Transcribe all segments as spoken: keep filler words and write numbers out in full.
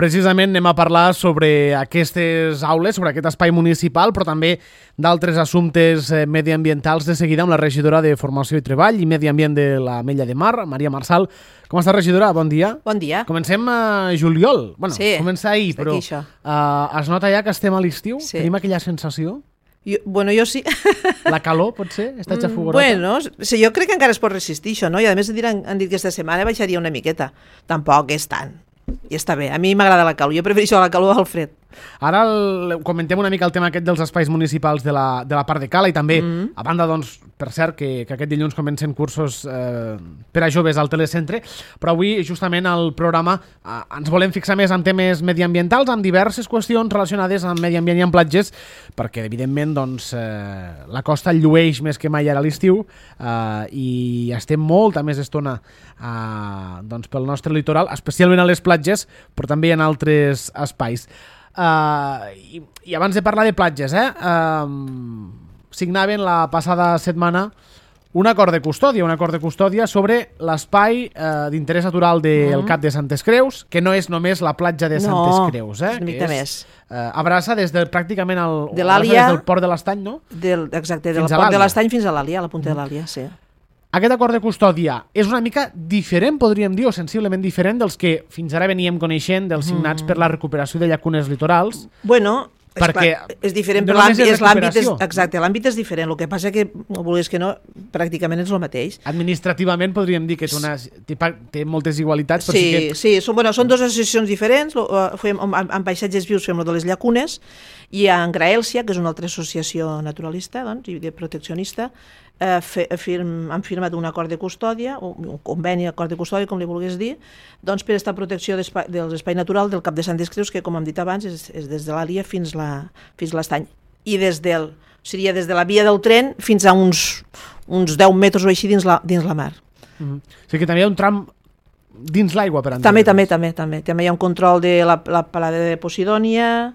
precisament anem a parlar sobre aquestes aules, sobre aquest espai municipal, però també d'altres assumptes mediambientals de seguida amb la regidora de Formació i Treball i Medi Ambient de l'Ametlla de Mar, Maria Marçal. Com està, regidora? Bon dia. Bon dia. Comencem a juliol. Bueno, sí, comença ahir, però uh, es nota ja que estem a l'estiu? Sí. Tenim aquella sensació? Jo, bueno, jo sí. La calor, pot ser? Està ja fogorota? Bueno, sí, jo crec que encara es pot resistir això, no? I a més han, han dit que aquesta setmana baixaria una miqueta. Tampoc és tant. I està bé. A mi m'agrada la calor. Jo prefereixo la calor al fred. Ara el, comentem una mica el tema aquest dels espais municipals de la, de la part de Cala i també, mm-hmm. a banda, doncs, per cert, que, que aquest dilluns comencen cursos eh, per a joves al telecentre, però avui, justament, al programa eh, ens volem fixar més en temes mediambientals, amb diverses qüestions relacionades amb medi ambient i amb platges, perquè, evidentment, doncs, eh, la costa llueix més que mai ara a l'estiu eh, i estem molta més estona eh, doncs, pel nostre litoral, especialment a les platges, però també en altres espais. Uh, i, i abans de parlar de platges, eh, uh, signaven la passada setmana un acord de custòdia, un acord de custòdia sobre l'espai uh, d'interès natural del mm. Cap de Santes Creus, que no és només la platja de no, Santes Creus, eh, és una mica que és, més. Uh, abraça des de pràcticament el, de l'Àlia, des del port de l'Estany, no? Del, exacte, del port de l'Estany fins a l'Àlia, a la punta mm. de l'Àlia, sí. Aquest acord de custòdia és una mica diferent, podríem dir, o sensiblement diferent dels que fins ara veníem coneixent dels signats mm. per la recuperació de llacunes litorals. Bueno, perquè és, clar, és diferent, però l'àmbit és, l'àmbit és, exacte, l'àmbit és diferent. El que passa que, no vulguis que no, pràcticament és el mateix. Administrativament podríem dir que té, una, té, té moltes igualitats. Sí, sí, que... sí són, bueno, són dues associacions diferents. Fem, en paisatges vius fem el de les llacunes i en Graèlcia, que és una altra associació naturalista, doncs, i de proteccionista, eh, firm, han firmat un acord de custòdia, un conveni acord de custòdia, com li vulguis dir, doncs per aquesta protecció de l'espai natural del Cap de Santes Creus, que com hem dit abans és, és des de l'Àlia fins la, fins a l'Estany. I des del, seria des de la via del tren fins a uns, uns deu metres o així dins la, dins la mar. Mm-hmm. O sigui que també hi ha un tram dins l'aigua, per entendre. També, també, també, també. També hi ha un control de la, la palada de Posidònia,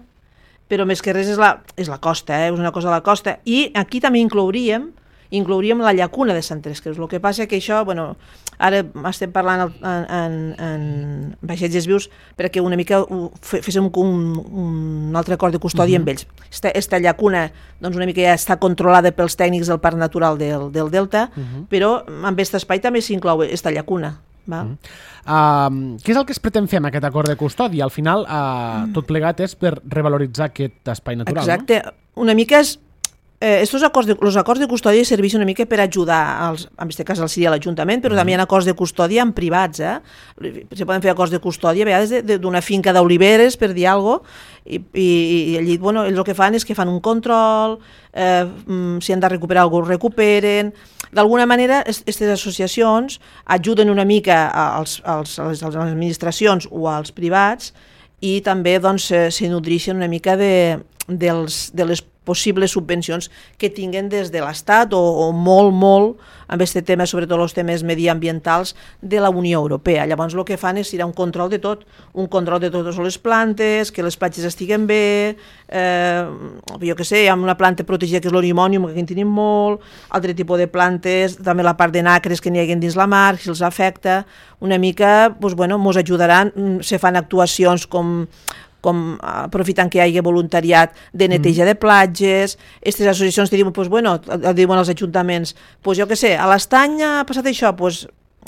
però més que res és la, és la costa, eh? És una cosa de la costa. I aquí també inclouríem inclouríem la llacuna de Santes Creus. El que passa que això, bueno, ara estem parlant en, en, en paisatges vius perquè una mica féssim un, un altre acord de custòdia uh-huh. amb ells. Esta, esta llacuna doncs una mica ja està controlada pels tècnics del Parc Natural del, del Delta, uh-huh. però amb aquest espai també s'inclou esta llacuna. Va? Uh-huh. Uh, què és el que es pretén fer amb aquest acord de custòdia? Al final, uh, tot plegat és per revaloritzar aquest espai natural. Exacte. No? Una mica és Eh, estos acords de, los acords de custòdia serveixen una mica per ajudar, als, en aquest cas seria l'Ajuntament, però mm. també hi ha acords de custòdia en privats. Eh? Se poden fer acords de custòdia a vegades d'una finca d'oliveres, per dir alguna cosa, i, i, i allí, bueno, ells el que fan és que fan un control, eh, si han de recuperar alguna cosa, recuperen. D'alguna manera, aquestes associacions ajuden una mica als, als, a les administracions o als privats i també doncs, se nodreixen una mica de, dels, de les possibles subvencions que tinguen des de l'Estat o, o molt, molt amb aquest tema, sobretot els temes mediambientals de la Unió Europea. Llavors el que fan és ir a un control de tot, un control de totes les plantes, que les platges estiguen bé, eh, jo què sé, hi ha una planta protegida que és l'orimònium, que aquí en tenim molt, altre tipus de plantes, també la part de nacres que n'hi hagi dins la mar, si els afecta, una mica, doncs, bueno, ens ajudaran, se fan actuacions com com aprofitant que hi hagi voluntariat de neteja de platges, aquestes associacions te diuen, pues, bueno, diuen als ajuntaments, pues, jo què sé, a l'Estany ha passat això, pues,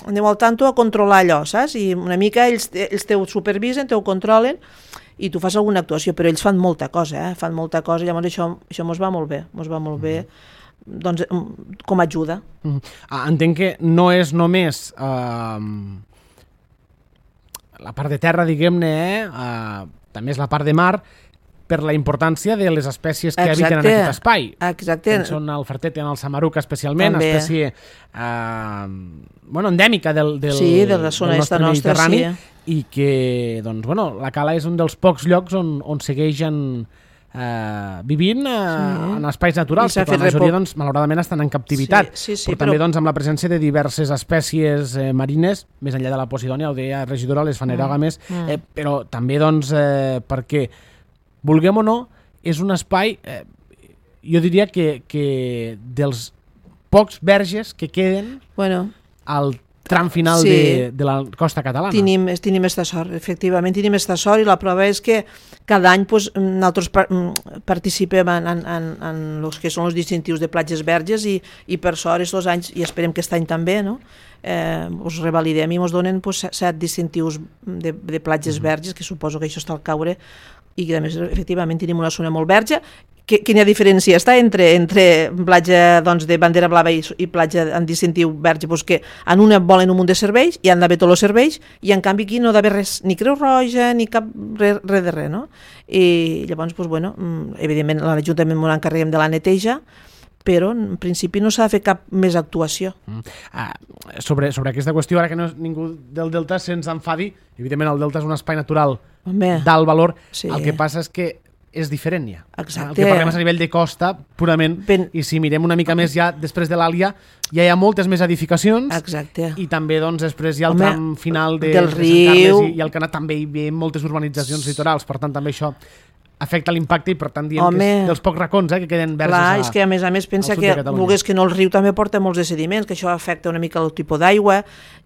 aneu al tanto a controlar allò, saps? I una mica ells, ells te ho supervisen, te ho controlen i tu fas alguna actuació, però ells fan molta cosa, eh? fan molta cosa, llavors això, això mos va molt bé, mos va molt bé, doncs, com a ajuda. Ah, entenc que no és només eh, la part de terra, diguem-ne, eh, també és la part de mar, per la importància de les espècies que Exacte. habiten en aquest espai. Exacte. Que són el fertet i el samaruc especialment, també. espècie eh, bueno, endèmica del, del, sí, de la zona del nostre nostra, Mediterrani, sí. i que, doncs, bueno, la Cala és un dels pocs llocs on, on segueixen eh, vivint eh, sí. en espais naturals, perquè la majoria, doncs, malauradament, estan en captivitat, sí, sí, sí, però, però també doncs, amb la presència de diverses espècies eh, marines, més enllà de la Posidònia, ho deia regidora, les fanerògames, mm. eh, però també doncs, eh, perquè, vulguem o no, és un espai, eh, jo diria que, que dels pocs verges que queden bueno. al tram final sí. de, de la costa catalana. Tenim, tenim esta sort, efectivament, tenim esta sort i la prova és que cada any pues, nosaltres participem en, en, en, en els que són els distintius de platges verges i, i per sort aquests anys, i esperem que aquest any també, no? eh, us revalidem i ens donen pues, set distintius de, de platges mm-hmm. verges, que suposo que això està al caure, i que a més efectivament tenim una zona molt verge. Quina diferència està entre, entre platja doncs, de bandera blava i, i platja en distintiu verge? Pues que en una volen un munt de serveis i han d'haver tots els serveis i en canvi aquí no ha d'haver res, ni Creu Roja ni cap res, res de res, no? I llavors, pues, bueno, evidentment a l'Ajuntament ens encarreguem de la neteja, però en principi no s'ha de fer cap més actuació. Mm. Ah, sobre, sobre aquesta qüestió, ara que no és ningú del Delta se'ns enfadi, evidentment el Delta és un espai natural d'alt valor, sí. El que passa és que és diferent ja. Exacte. El que parlem és a nivell de costa, purament, ben... i si mirem una mica més ja després de l'Àlia, ja hi ha moltes més edificacions. Exacte. I també doncs, després hi ha el Home, tram final de, del de Sant riu Carles i, i el Canà també hi ha moltes urbanitzacions litorals, per tant també això afecta l'impacte i per tant diem Home, que és dels pocs racons eh, que queden verges. Clar, a, és que a més a més pensa que volgués que no el riu també porta molts de sediments, que això afecta una mica el tipus d'aigua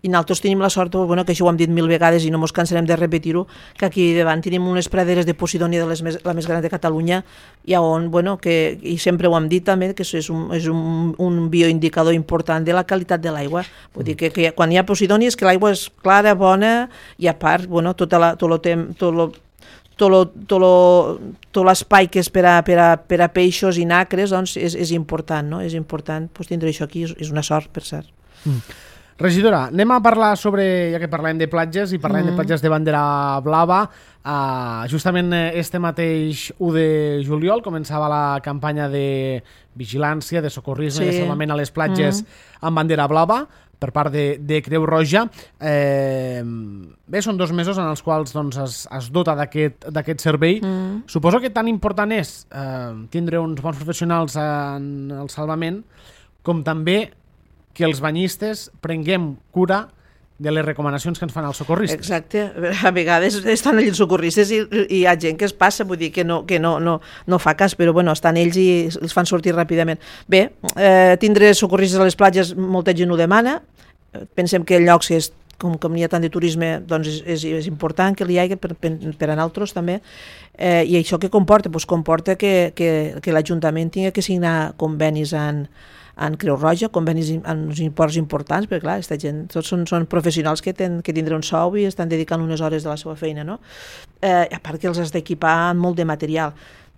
i nosaltres tenim la sort, bueno, que això ho hem dit mil vegades i no ens cansarem de repetir-ho, que aquí davant tenim unes praderes de Posidònia de les més, la més gran de Catalunya i on, bueno, que, i sempre ho hem dit també, que és un, és un, un bioindicador important de la qualitat de l'aigua. Vull dir que, que quan hi ha Posidònia és que l'aigua és clara, bona i a part, bueno, tota la, tot el temps, tot lo, tot l'espai que és per a, per, a, per a peixos i nacres doncs és, és important, no? És important pues, tindre això aquí, és una sort, per cert. Mm. Regidora, anem a parlar sobre, ja que parlem de platges i parlem mm. de platges de bandera blava, uh, justament este mateix u de juliol començava la campanya de vigilància, de socorrisme, sí. de salvament a les platges mm. amb bandera blava, per part de, de Creu Roja. Eh, bé, són dos mesos en els quals doncs, es, es dota d'aquest servei. Mm. Suposo que tan important és eh, tindre uns bons professionals en el salvament com també que els banyistes prenguem cura de les recomanacions que ens fan els socorristes. Exacte. A vegades estan allà els socorristes i, i hi ha gent que es passa, vull dir que no, que no, no, no fa cas, però bueno, estan ells i els fan sortir ràpidament. Bé, eh, tindre socorristes a les platges, molta gent ho demana. Pensem que llocs que és, com que n'hi ha tant de turisme, doncs és, és, és important que hi hagi per, per, per a nosaltres també. Eh, I això què comporta? Pues comporta que, que, que l'Ajuntament tingui que signar convenis en en Creu Roja, convenis en uns imports importants, perquè clar, aquesta gent, tots són, són professionals que, ten, que tindran un sou i estan dedicant unes hores de la seva feina, no? Eh, a part que els has d'equipar amb molt de material.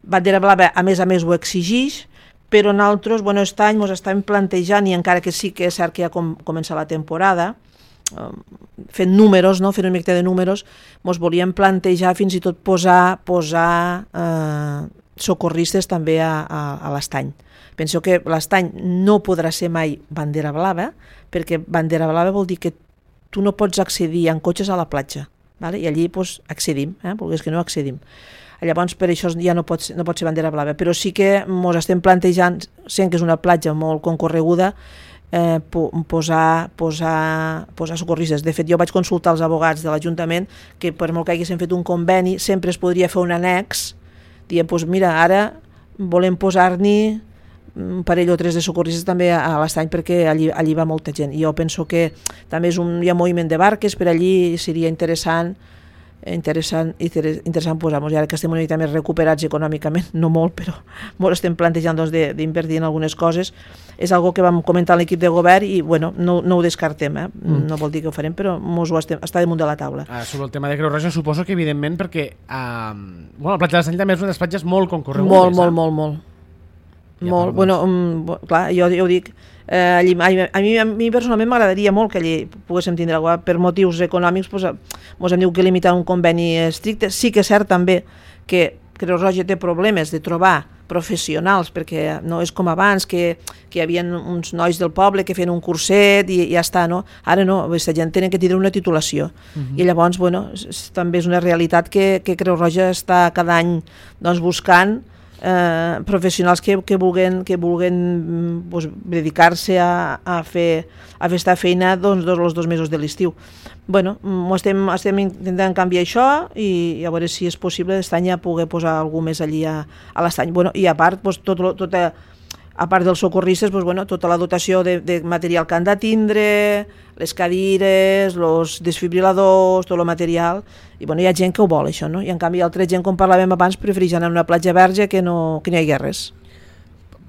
Bandera Blava, a més a més, ho exigeix, però nosaltres, bueno, aquest any ens estem plantejant, i encara que sí que és cert que ja com, comença la temporada, eh, fent números, no? Fent una mica de números, ens volíem plantejar fins i tot posar, posar eh, socorristes també a, a, a l'Estany. Penso que l'Estany no podrà ser mai bandera blava, perquè bandera blava vol dir que tu no pots accedir en cotxes a la platja, vale? I allí pues, accedim, eh? Volgués que no accedim. Llavors per això ja no pot, no pot ser bandera blava, però sí que ens estem plantejant, sent que és una platja molt concorreguda, eh, posar, posar, posar socorristes. De fet, jo vaig consultar els abogats de l'Ajuntament que per molt que haguéssim fet un conveni, sempre es podria fer un annex, dient, pues, mira, ara volem posar-n'hi un parell o tres de socorristes també a l'Estany perquè allí, allí va molta gent. I jo penso que també és un, hi ha moviment de barques per allí, seria interessant interessant, interessant posar-nos. I ara que estem una mica més recuperats econòmicament, no molt, però molt estem plantejant doncs, d'invertir en algunes coses. És algo que vam comentar a l'equip de govern i bueno, no, no ho descartem, eh? Mm. No vol dir que ho farem, però mos ho estem, està damunt de la taula. Ah, sobre el tema de Creu Roja, suposo que evidentment perquè eh, bueno, la platja de l'Estany també és una de les platges molt concorregudes. Molt, molt, molt, molt. Ja, molt, bueno, um, clar, jo, jo ho dic, eh, allí, a, mi, a mi personalment m'agradaria molt que allí poguéssim tindre alguna cosa. Per motius econòmics pues, ens hem dit que limitar un conveni estricte. Sí que és cert també que Creu Roja té problemes de trobar professionals, perquè no és com abans, que, que hi havia uns nois del poble que feien un curset i, i ja està, no? Ara no, aquesta gent tenen que tindre una titulació. Uh-huh. I llavors, bueno, és, també és una realitat que, que Creu Roja està cada any doncs, buscant Eh, professionals que, que vulguen, que vulguen pues, dedicar-se a, a, fer, a fer esta feina doncs, dos, els dos mesos de l'estiu. Bueno, estem, estem intentant canviar això i, i a veure si és possible aquest any ja poder posar algú més allí a, a l'Estany. Bueno, i a part, pues, tot, tot, a part dels socorristes, doncs, bueno, tota la dotació de, de material que han de tindre, les cadires, els desfibriladors, tot el material, i bueno, hi ha gent que ho vol això, no? I en canvi altra gent, com parlàvem abans, prefereix anar a una platja verge que no, que no hi hagi res.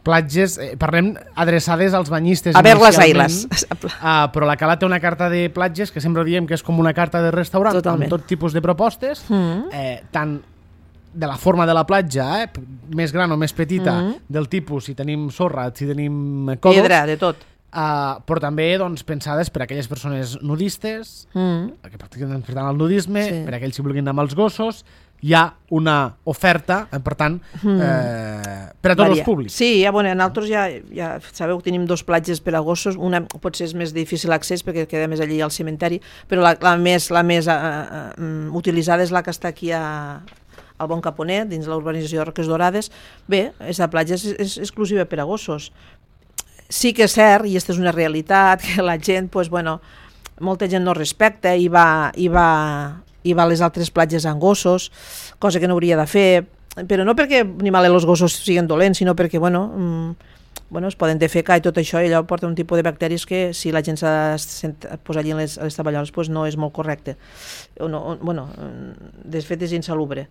Platges, eh, parlem adreçades als banyistes a veure les ailes. Uh, però la Cala té una carta de platges que sempre diem que és com una carta de restaurant. Totalment. Amb tot tipus de propostes, mm. eh, tant de la forma de la platja, eh, més gran o més petita, mm. del tipus si tenim sorra, si tenim còdols, pedra, de tot. Uh, però també doncs, pensades per a aquelles persones nudistes, mm. que practiquen per tant el nudisme, sí. per a aquells que vulguin anar amb els gossos. Hi ha una oferta, per tant, mm. eh, per a tots Varia. Els públics. Sí, ja, bueno, nosaltres ja, ja sabeu que tenim dos platges per a gossos, una potser és més difícil accés perquè queda més allí al cementeri, però la, la més, la més uh, uh, utilitzada és la que està aquí a, al Bon Caponet, dins l'urbanització de Roques Dorades. Bé, aquesta platja és, és exclusiva per a gossos. Sí que és cert, i aquesta és una realitat, que la gent, pues, bueno, molta gent no respecta i va... I va i va a les altres platges amb gossos, cosa que no hauria de fer, però no perquè ni mal els gossos siguin dolents, sinó perquè, bueno, mmm, bueno, es poden defecar i tot això, i allò porta un tipus de bacteris que si la gent s'ha de posar allí en les, les taballoles, pues no és molt correcte. O no, o, bueno, de fet és insalubre.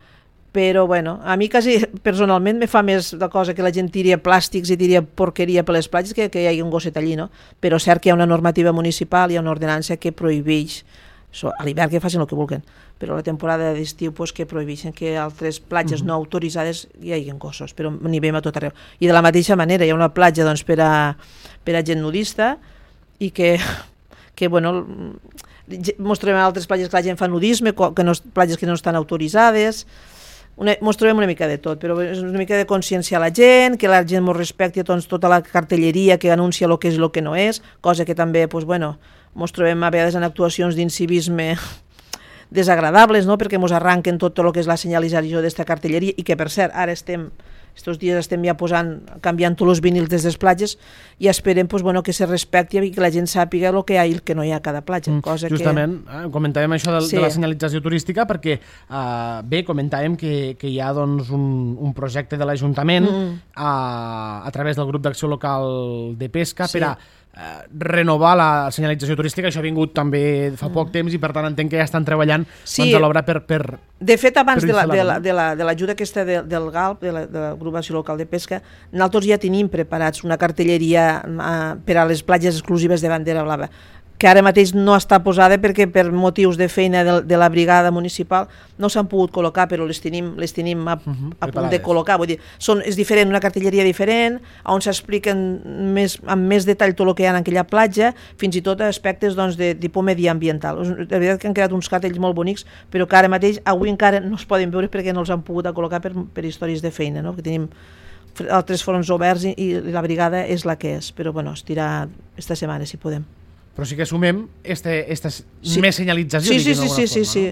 Però, bueno, a mi quasi personalment me fa més de cosa que la gent tiri plàstics i tiri porqueria per les platges que, que hi hagi un gosset allí, no? Però cert que hi ha una normativa municipal, hi ha una ordenança que prohibeix, a l'hivern que facin el que vulguin, però a la temporada d'estiu pues, que prohibeixen que altres platges mm-hmm. no autoritzades hi hagi gossos, però n'hi veiem a tot arreu. I de la mateixa manera hi ha una platja doncs, per, a, per a gent nudista i que, que bueno, mostrem altres platges que la gent fa nudisme, que no, platges que no estan autoritzades, una, mostrem una mica de tot, però és una mica de conscienciar la gent, que la gent ens respecti doncs, tota la cartelleria que anuncia el que és i el que no és, cosa que també, pues, bueno, ens trobem a vegades en actuacions d'incivisme desagradables, no? Perquè ens arranquen tot el que és la senyalització d'esta cartelleria i que, per cert, ara estem, estos dies estem ja posant, canviant tots els vinils des de les platges i esperem pues, bueno, que se respecti i que la gent sàpiga el que hi ha i el que no hi ha a cada platja. Mm, cosa justament, que... eh, comentàvem això de, sí. de la senyalització turística perquè, eh, bé, comentàvem que, que hi ha doncs, un, un projecte de l'Ajuntament mm. a, a través del grup d'acció local de pesca sí. per a Uh, renovar la senyalització turística. Això ha vingut també fa poc mm. temps i per tant entenc que ja estan treballant sí. doncs, a l'obra per, per... De fet, abans de l'ajuda la, de la, de la, de aquesta de, del G A L P, de la, de la Agrupació Local de Pesca, nosaltres ja tenim preparats una cartelleria uh, per a les platges exclusives de bandera blava, que ara mateix no està posada perquè per motius de feina de, de la brigada municipal no s'han pogut col·locar, però les tenim, les tenim a, uh-huh, a punt de col·locar. Vull dir, són, és diferent, una cartelleria diferent, on s'expliquen més, amb més detall tot el que hi ha en aquella platja, fins i tot aspectes doncs, de tipus mediambiental. De veritat que han quedat uns cartells molt bonics, però que ara mateix, avui encara no es poden veure perquè no els han pogut col·locar per, per històries de feina, no? Perquè tenim altres fronts oberts i, i la brigada és la que és, però bueno, es tirà esta setmana si podem. Però sí que sumem este, esta sí. més senyalització. Sí, sí, sí, sí, sí, sí.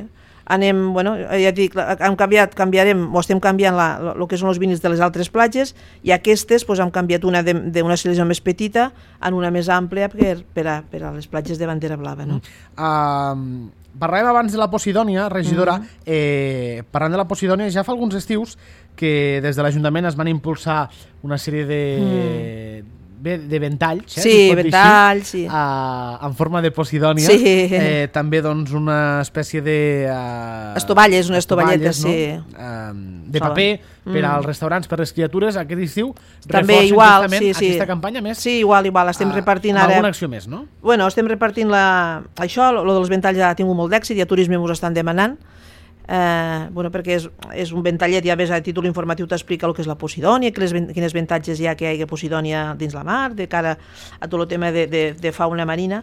Anem, bueno, ja dic, hem canviat, canviarem, o estem canviant la, el que són els vinils de les altres platges i aquestes pues, hem canviat una d'una selecció més petita en una més àmplia per, per, a, per a les platges de bandera blava. No? Uh, parlàvem abans de la Posidònia, regidora, mm-hmm. eh, parlant de la Posidònia, ja fa alguns estius que des de l'Ajuntament es van impulsar una sèrie de... Mm. de ventalls, eh, sí, ventalls, sí. Uh, en forma de Posidònia, sí. eh, també doncs, una espècie de... Uh, estovalles, una estovalleta, no? Sí. Uh, de paper mm. per als restaurants, per les criatures, aquest estiu també igual, sí, sí. aquesta campanya més. Sí, igual, igual, estem uh, repartint ara... alguna acció més, no? Bueno, estem repartint la... això, lo dels ventalls ja ha tingut molt d'èxit, i a Turisme us estan demanant, Eh, bueno, perquè és, és un ventallet, ja ves a títol informatiu t'explica el que és la Posidònia, quines, quines avantatges hi ha que hi hagi Posidònia dins la mar, de cara a tot el tema de, de, de fauna marina,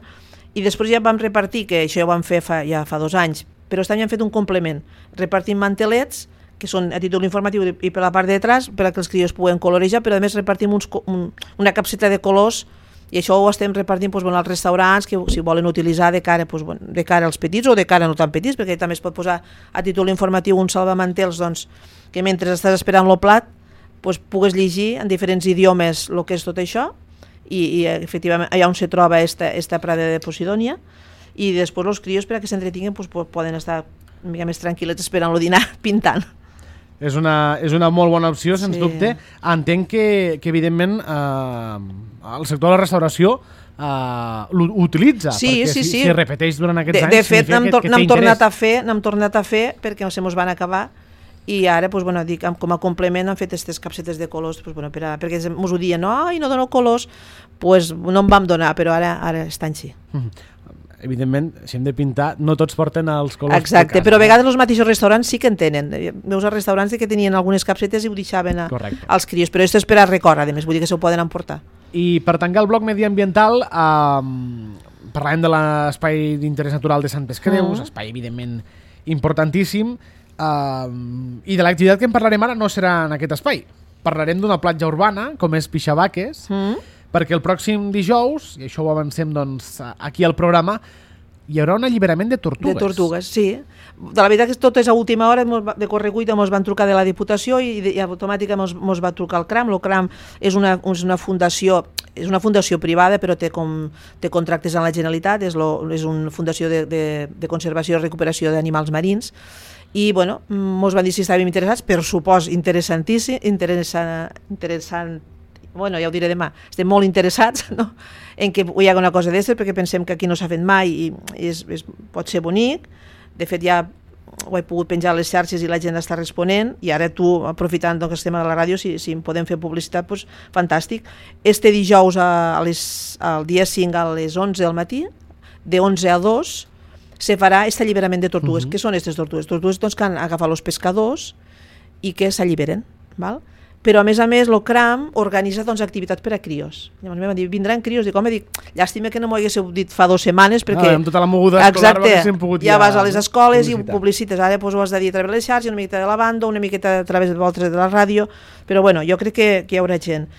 i després ja vam repartir, que això ja ho vam fer fa, ja fa dos anys, però també hem fet un complement, repartim mantelets, que són a títol informatiu i per la part de detrás, per a que els crios puguen colorejar, però a més repartim uns, un, una capseta de colors. I això ho estem repartint doncs, bueno, als restaurants que si volen utilitzar de cara, doncs, bueno, de cara als petits o de cara no tan petits, perquè també es pot posar a títol informatiu un salvamantels doncs, que mentre estàs esperant el plat doncs, pugues llegir en diferents idiomes el que és tot això i, i efectivament allà on se troba esta, esta prada de Posidònia i després els crios per a que s'entretinguin doncs, poden estar una mica més tranquil·lets esperant el dinar pintant. És una, és una molt bona opció, sens Sí. dubte. Entenc que, que evidentment, eh, el sector de la restauració uh, l'utilitza, Sí, perquè sí, si, sí. si repeteix durant aquests De, anys de fet, significa n'hem que, tor que té n'hem tornat interès. a fer, n'hem tornat a fer perquè se mos van acabar i ara, pues, bueno, dic, com a complement han fet aquestes capsetes de colors, pues, bueno, per a, perquè mos ho diuen, no, ai, no dono colors, pues, no en vam donar, però ara, ara estan així. Mm. Evidentment, si hem de pintar, no tots porten els colors. Exacte, de casa, però a eh? vegades els mateixos restaurants sí que en tenen. Veus a restaurants que tenien algunes capsetes i ho deixaven a, Correcte. als crios, però això és per a record, a més, vull dir que se ho poden emportar. I per tancar el bloc mediambiental, eh, parlàvem de l'espai d'interès natural de Santes Creus, Mm. espai evidentment importantíssim, eh, i de l'activitat que en parlarem ara no serà en aquest espai. Parlarem d'una platja urbana, com és Pixabaques, Mm? perquè el pròxim dijous, i això ho avancem doncs, aquí al programa, hi haurà un alliberament de tortugues. De tortugues, sí. De la veritat que tot és a última hora, mos va- de correcuita ens van trucar de la Diputació i, de, i automàticament mos, mos va trucar el CRAM. El CRAM és una, és una fundació és una fundació privada però té, com, té contractes amb la Generalitat, és, lo, és una fundació de, de, de conservació i recuperació d'animals marins i bueno, mos van dir si estàvem interessats, per supòs interessantíssim, interessant, interessant bueno, ja ho diré demà, estem molt interessats, no?, en que hi ha una cosa d'aquestes, perquè pensem que aquí no s'ha fet mai i és, és, pot ser bonic. De fet, ja ho he pogut penjar a les xarxes i la gent està responent, i ara tu, aprofitant doncs, que estem a la ràdio, si, si em podem fer publicitat, doncs, fantàstic. Este dijous, a, a les, al dia cinc, a les onze del matí, de onze a dos, se farà aquest alliberament de tortugues. Uh-huh. Què són aquestes tortugues? Tortugues doncs, que han agafat els pescadors i que s'alliberen, val? Però a més a més el CRAM organitza doncs, activitats per a crios. Llavors em van dir, vindran crios, dic, home, dic, llàstima que no m'ho haguéssiu dit fa dues setmanes, perquè... No, amb tota la moguda escolar exacte, haguéssim pogut ja, ja vas a les escoles publicitar. I ho publicites, ara doncs, ho has de dir a través de les xarxes, una miqueta de la banda, una miqueta a través de vosaltres de la ràdio, però bueno, jo crec que, que hi haurà gent.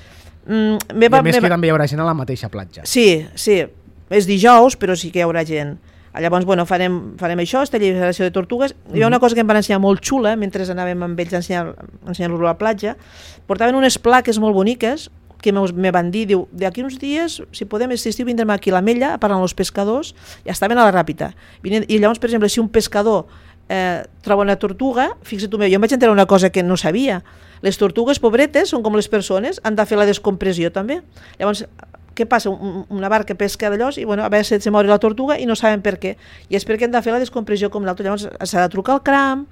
Mm, meva, I a més meva... que també hi haurà gent a la mateixa platja. Sí, sí, és dijous, però sí que hi haurà gent. Llavors, bueno, farem, farem això, esta alliberació de tortugues. Mm-hmm. Hi ha una cosa que em van ensenyar molt xula, mentre anàvem amb ells a ensenyar-los ensenyar a la platja. Portaven unes plaques molt boniques que me van dir, diu, d'aquí uns dies, si podem, aquest estiu vindrem aquí a l'Ametlla, parlant amb els pescadors, i estaven a la Ràpita. I llavors, per exemple, si un pescador eh, troba una tortuga, fixa't tu, jo em vaig enterar una cosa que no sabia. Les tortugues, pobretes, són com les persones, han de fer la descompressió també. Llavors, què passa? Una barca pesca d'allòs i bueno, a vegades se mori la tortuga i no saben per què. I és perquè han de fer la descompressió com l'altre. Llavors s'ha de trucar al CRAM,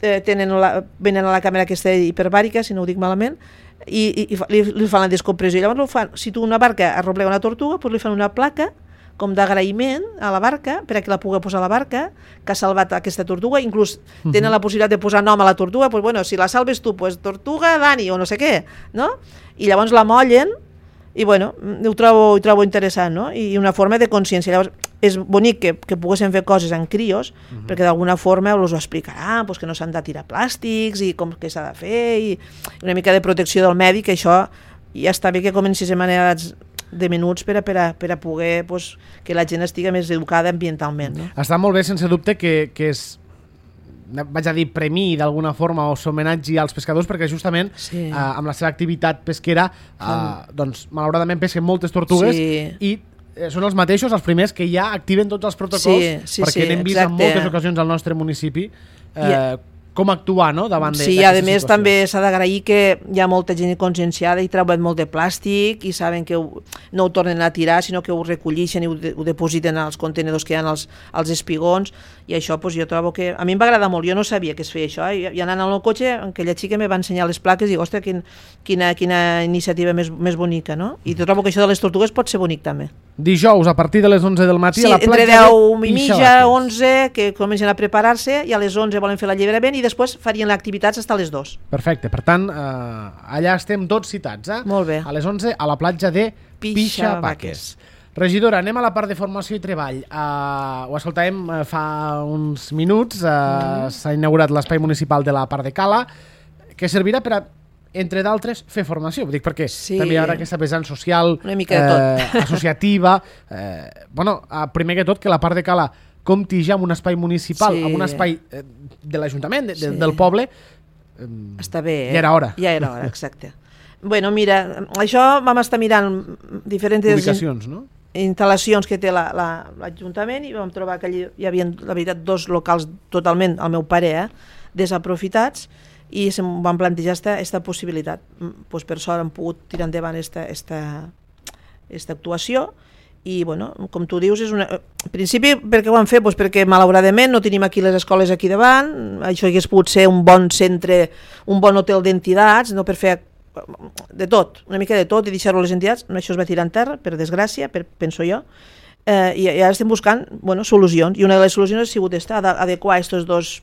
eh, tenen la, venen a la càmera aquesta hiperbàrica, si no ho dic malament, i, i, i li, li fan la descompressió. Llavors ho fan, si tu una barca arroblega una tortuga, doncs li fan una placa com d'agraïment a la barca, per a que la pugui posar a la barca, que ha salvat aquesta tortuga, inclús uh-huh. tenen la possibilitat de posar nom a la tortuga, doncs bueno, si la salves tu, doncs tortuga Dani o no sé què, no? I llavors la mollen i bueno, ho trobo, ho trobo interessant, no? I una forma de consciència. Llavors, és bonic que, que poguessin fer coses en crios, uh-huh. perquè d'alguna forma els ho explicaran, pues, que no s'han de tirar plàstics i com que s'ha de fer, i una mica de protecció del medi, que això ja està bé que comencis a manera de minuts per a, per a, per a poder pues, que la gent estigui més educada ambientalment. No? Està molt bé, sense dubte, que, que és vaig a dir premi d'alguna forma o s'homenatgi als pescadors, perquè justament sí. eh, amb la seva activitat pesquera eh, doncs malauradament pesquen moltes tortugues sí. i eh, són els mateixos, els primers que ja activen tots els protocols sí, sí, perquè sí, n'hem vist exacte. En moltes ocasions al nostre municipi eh, yeah. com actuar no? davant sí, d'aquesta situació. Sí, a més també s'ha d'agrair que hi ha molta gent conscienciada i treuen molt de plàstic i saben que ho, no ho tornen a tirar, sinó que ho recollixen i ho, de, ho depositen als contenedors que hi ha als, als espigons, i això pues, jo trobo que... A mi em va agradar molt, jo no sabia que es feia això, i, i anant al meu cotxe, aquella xica me va ensenyar les plaques i dic, ostres, quin, quina, quina iniciativa més, més bonica, no? I trobo que això de les tortugues pot ser bonic també. Dijous, a partir de les onze del matí, sí, a la platja entre deu i mitja, onze, que comencen a preparar-se, i a les onze volen fer l'alliberament i després farien l'activitat fins a les dues. Perfecte, per tant, eh, allà estem tots citats, eh? Molt bé. A les onze, a la platja de Pixabaques. Regidora, anem a la part de formació i treball. Uh, ho escoltàvem uh, fa uns minuts, uh, mm. s'ha inaugurat l'espai municipal de la part de Cala, que servirà per a, entre d'altres, fer formació. Ho dic perquè sí. també hi haurà aquesta vessant social, eh, associativa. Eh, bueno, uh, primer que tot, que la part de Cala compti ja amb un espai municipal, sí. amb un espai eh, de l'Ajuntament, de, sí. del poble. Eh, Està bé, eh? Ja era hora. Ja era hora, exacte. Bueno, mira, això vam estar mirant diferents... Ubicacions, no? instal·lacions que té l'Ajuntament la, la, i vam trobar que allí hi havia, la veritat, dos locals totalment, al meu parer, eh, desaprofitats, i se'm van plantejar aquesta possibilitat. Pues per sort han pogut tirar endavant aquesta actuació i, bueno, com tu dius, és una... en principi, per què ho han fet? Pues perquè, malauradament, no tenim aquí les escoles aquí davant, això hagués pogut ser un bon centre, un bon hotel d'entitats, no per fer de tot, una mica de tot, i deixar-ho a les entitats. Això es va tirar en terra, per desgràcia, per, penso jo, eh, i, i ara estem buscant, bueno, solucions, i una de les solucions ha sigut esta, adequar aquests dos,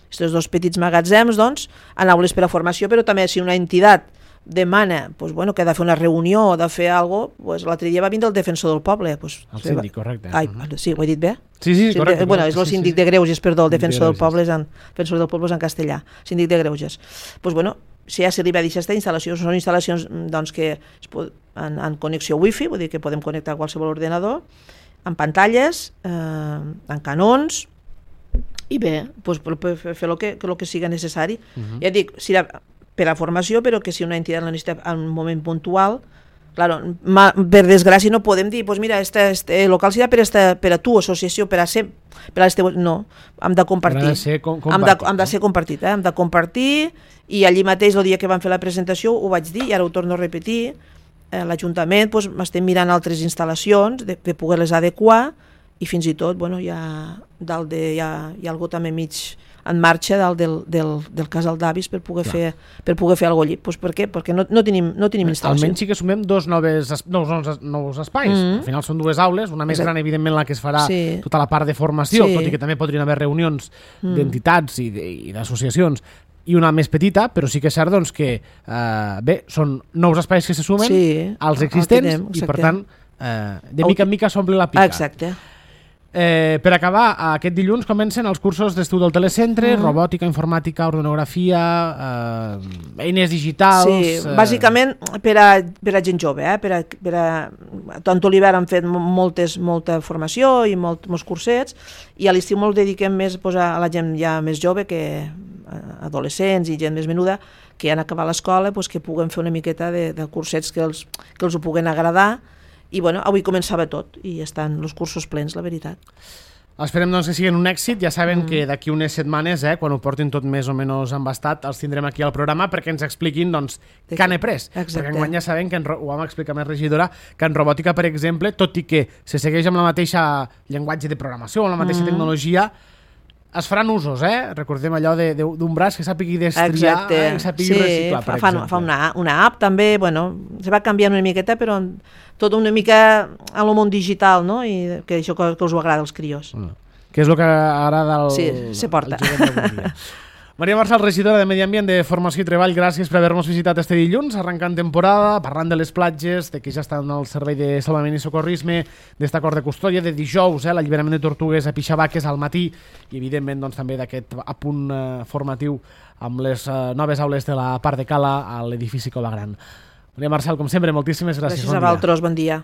estos dos petits magatzems, doncs, en aules per a formació, però també si una entitat demana, pues, bueno, que ha de fer una reunió o de fer alguna cosa, pues, l'altre dia va vindre el defensor del poble. Pues, el síndic, correcte. Ai, sí, ho he dit bé? Sí, sí, correcte. Bueno, és el síndic de Greuges, perdó, el defensor del poble és en, defensor del poble és en castellà, síndic de Greuges. Pues, bueno, si ja se li va dir aquesta instal·lació, són instal·lacions doncs, que es pot, en, en connexió wifi, vull dir que podem connectar a qualsevol ordenador, amb pantalles, eh, amb canons, i bé, pues, per, per fer el que, el que siga necessari. Uh-huh. Ja dic, si la, per a formació, però que si una entitat la necessita en un moment puntual, claro, ma, per desgràcia no podem dir, pues mira, este, este local serà per, esta, per a tu, associació, per a ser, per a este, no, hem de compartir. Hem de ser com, hem de, hem de ser compartit, eh? Hem de compartir, i allí mateix, el dia que vam fer la presentació, ho vaig dir, i ara ho torno a repetir, eh, l'Ajuntament, pues, estem mirant altres instal·lacions, de, de poder-les adequar, i fins i tot, bueno, hi ha, dalt de, hi ha, hi ha algú també mig en marxa dalt del, del, del casal d'avis per poder Clar. fer per poder fer alguna cosa allí. Pues per què? Perquè no, no tenim, no tenim instal·lació. Almenys sí que sumem dos noves, nous, nous, nous espais. Mm-hmm. Al final són dues aules, una més Exacte. gran, evidentment, la que es farà sí. tota la part de formació, sí. tot i que també podrien haver reunions mm. d'entitats i d'associacions, i una més petita, però sí que és cert doncs, que eh, bé, són nous espais que se sumen sí, als existents tenem, i per tant eh, de mica en mica s'omple la pica. Exacte. Eh, per acabar, aquest dilluns comencen els cursos d'estiu del telecentre, mm. robòtica, informàtica, organografia, eh, eines digitals... Sí, eh... bàsicament per a, per a gent jove, eh? per a, per a... tant a l'hivern han fet moltes, molta formació i molt, molts cursets, i a l'estiu molt dediquem més pues, a la gent ja més jove, que adolescents i gent més menuda, que han acabat l'escola, pues, que puguen fer una miqueta de, de cursets que els, que els ho puguen agradar. I bueno, avui començava tot i estan els cursos plens, la veritat. Esperem doncs, que siguin un èxit. Ja saben mm. que d'aquí unes setmanes, eh, quan ho portin tot més o menys embastat, els tindrem aquí al programa perquè ens expliquin doncs, què han après. Exacte. Perquè enguany ja sabem, que en, ho vam explicar més regidora, que en robòtica, per exemple, tot i que se segueix amb la mateixa llenguatge de programació, amb la mateixa mm. tecnologia, es faran usos, eh? Recordem allò d'un de, braç que sàpigui destriar i sàpigui sí, reciclar, per fa, exemple. Fa una, una app també, bueno, se va canviant una miqueta, però tot una mica a lo món digital, no? I que això que, que us ho agrada als crios. Mm. Que és el que agrada al, sí, se porta. Maria Marçal, regidora de Medi Ambient, de Formació i Treball, gràcies per haver-nos visitat este dilluns, arrencant temporada, parlant de les platges, de que ja estan al servei de salvament i socorrisme, d'esta acord de custòdia, de dijous, eh, l'alliberament de tortugues a Pixabaques al matí, i evidentment doncs, també d'aquest apunt eh, formatiu amb les eh, noves aules de la part de Cala a l'edifici Cova Gran. Maria Marçal, com sempre, moltíssimes gràcies. Gràcies a vosaltres, bon dia.